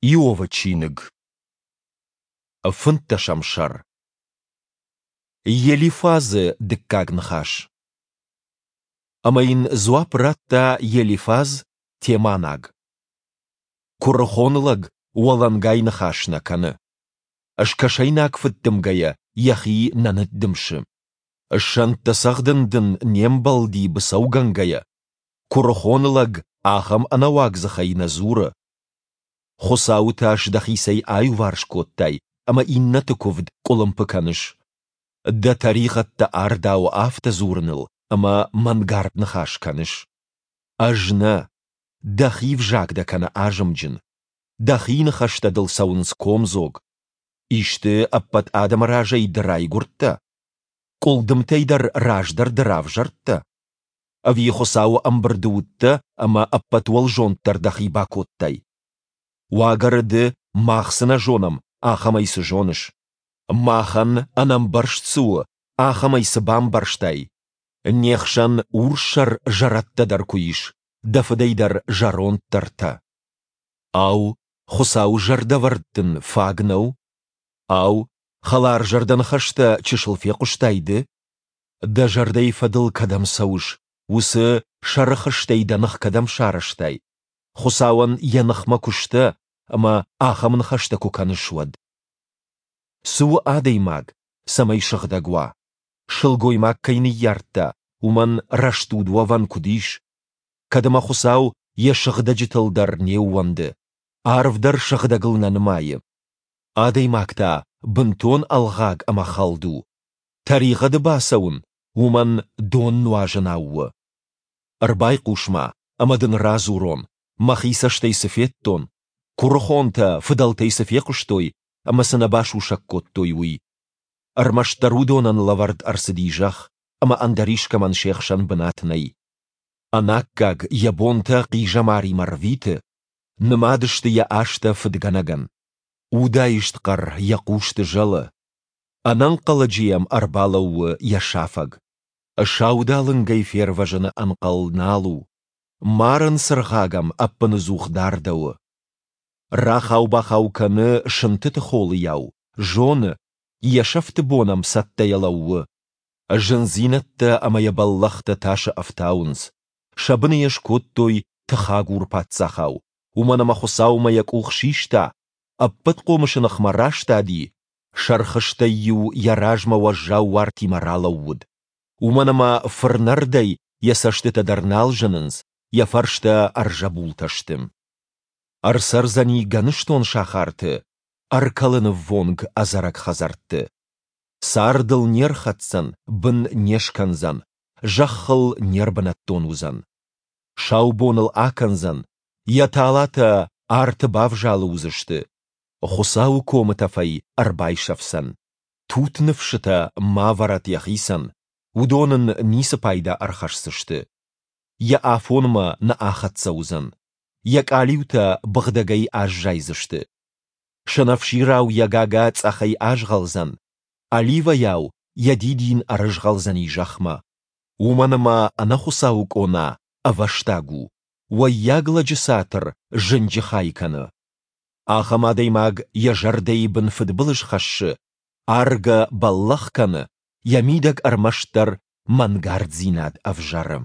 Иовы чиныг. Фынддӕсӕм сӕр. Елифазы дыккаг ныхас. Ӕмӕ йын дзуапп радта Елифаз, теманаг. Куырыхон лӕг уӕлӕнгай ныхас нӕ кӕны. Скӕсӕйнаг фыддымгӕйӕ йӕхи нӕ ныддымсы. Сӕнттӕ цӕгъдын дын не мбӕлди быцӕугӕнгӕйӕ. Куырыхон лӕг ахӕм ӕнӕуаг дзыхӕй нӕ дзуры. Хуыцауы тас дӕхицӕй аиуварс кодтай ӕмӕ иннӕты куывд къуылымпы кӕныс. Дӕ тӕригъӕдтӕ ардауы афтӕ дзурыныл ӕмӕ мӕнгард ныхас кӕныс. Ӕз нӕ, дӕхи взаг дӕ кӕны азымджын, дӕхи ныхӕстӕ дыл цӕуынц комдзог. Исты ӕппӕт адӕмы разӕй ды райгуырдтӕ? Къуылдымтӕй дӕр раздӕр ды равзӕрдтӕ? Ӕви Хуыцауы ӕмбырды уыдтӕ ӕмӕ ӕппӕт уӕлзонддӕр дӕхи бакодтай? Уагӕры ды, мах цы нӕ зонӕм, ахӕмӕй цы зоныс? Махӕн ӕнӕмбӕрст цы у, ахӕмӕй цы бамбӕрстай? Не хсӕн урссӕр зӕрӕдтӕ дӕр куы ис, дӕ фыдӕй дӕр зӕронддӕртӕ. Ау, Хуыцауы зӕрдӕвӕрд дын фаг нӕу? Ау, хӕларзӕрдӕ ныхӕстӕ чысыл фехъуыстай ды? Дӕ зӕрдӕйы фӕдыл кӕдӕм цӕуыс, уыцы сӕрыхызтӕй дӕ ных кӕдӕм сарӕзтай? Хуыцауӕн йӕ ныхмӕ куы сдӕ ӕмӕ ахӕм ныхӕстӕ куы кӕныс, уӕд. Цы у адӕймаг, цӕмӕй сыгъдӕг уа? Сылгоймаг кӕй ныййардта, уымӕн рӕстуд уӕвӕн куыд ис? Кӕд ӕмӕ Хуыцау йӕ сыгъдӕджытыл дӕр не ууӕнды, арв дӕр сыгъдӕгыл нӕ нымайы. Адӕймаг та бынтон ӕлгъаг ӕмӕ хӕлд у. Тӕригъӕды бацӕуын уымӕн дон нуазынау у. Ӕрбайхъус-ма, ӕмӕ дын радзурон, мӕхи цӕстӕй цы федтон, куырыхонтӕ фыдӕлтӕй цы фехъуыстой ӕмӕ цы нӕ басусӕг кодтой, уый. Ӕрмӕстдӕр уыдонӕн лӕвӕрд ӕрцыди зӕхх, ӕмӕ ӕндӕр искӕмӕн се хсӕн бынат нӕй. Ӕнаккаг йӕ бонтӕ хъизӕмаримӕ рвиты, нымад сты йӕ азтӕ фыдгӕнӕгӕн. Удаист хъӕр йӕ хъусты зӕлы, ӕнӕнхъӕлӕджы йӕм ӕрбалӕууы йӕ сафӕг. Саудалынгӕй фервӕзыны ӕнхъӕл нал у, марӕн цыргъаг ӕм ӕппыныдзух дардӕуы. Рахау-бахау кӕны сынтыты холыйау, зоны, йӕ сӕфты бон ӕм цӕттӕйӕ лӕууы. Зындзинӕдтӕ ӕмӕ йӕ бӕллӕхтӕ тасы ӕфтауынц, сӕ быны йӕ скодтой тыхагур паддзахау, уымӕн ӕмӕ Хуыцаумӕ йӕ къух систа, ӕппӕтхъомысы ныхмӕ растади, сӕрхызтӕй-иу йӕ размӕ уӕззау уартимӕ ралӕууыд. Уымӕн ӕмӕ фырнӕрдӕй йӕ цӕстытӕ дӕр нал зынынц, йӕ фӕрстӕ ӕрзӕбултӕ сты. Ӕрцӕрдзӕни гӕныстон сахарты, ӕркӕлыны ввонг ӕдзӕрӕг хӕдзӕртты. Цард ыл не рхӕцдзӕн, бын не скӕндзӕн, зӕххыл не рбынӕттон уыдзӕн. Сау бон ыл акӕндзӕн, йӕ талатӕ арты бавзалы уыдзысты, Хуыцауы комы тӕфӕй ӕрбайсӕфдзӕн. Тут ныфсытӕ ма вӕрӕд йӕхицӕн, уыдон ын ницы пайда ӕрхӕсдзысты. Йӕ афонмӕ нӕ ахӕццӕ уыдзӕн, йӕ къалиутӕ быгъдӕгӕй аззайдзысты. Сӕнӕфсирау йӕ гага цъӕхӕй азгъӕлдзӕн, оливӕйау йӕ дидин ӕрызгъӕлдзӕни зӕхмӕ. Уымӕн ӕмӕ ӕнӕхуыцауы къона ӕвӕстаг у, уӕййаг лӕджы цатыр зынджы хай кӕны. Ахӕм адӕймаг йӕ зӕрдӕйы бын фыдбылыз хӕссы, аргӕ бӕллӕх кӕны, йӕ мидӕг ӕрмӕстдӕр мӕнгарддзинад ӕвзӕры.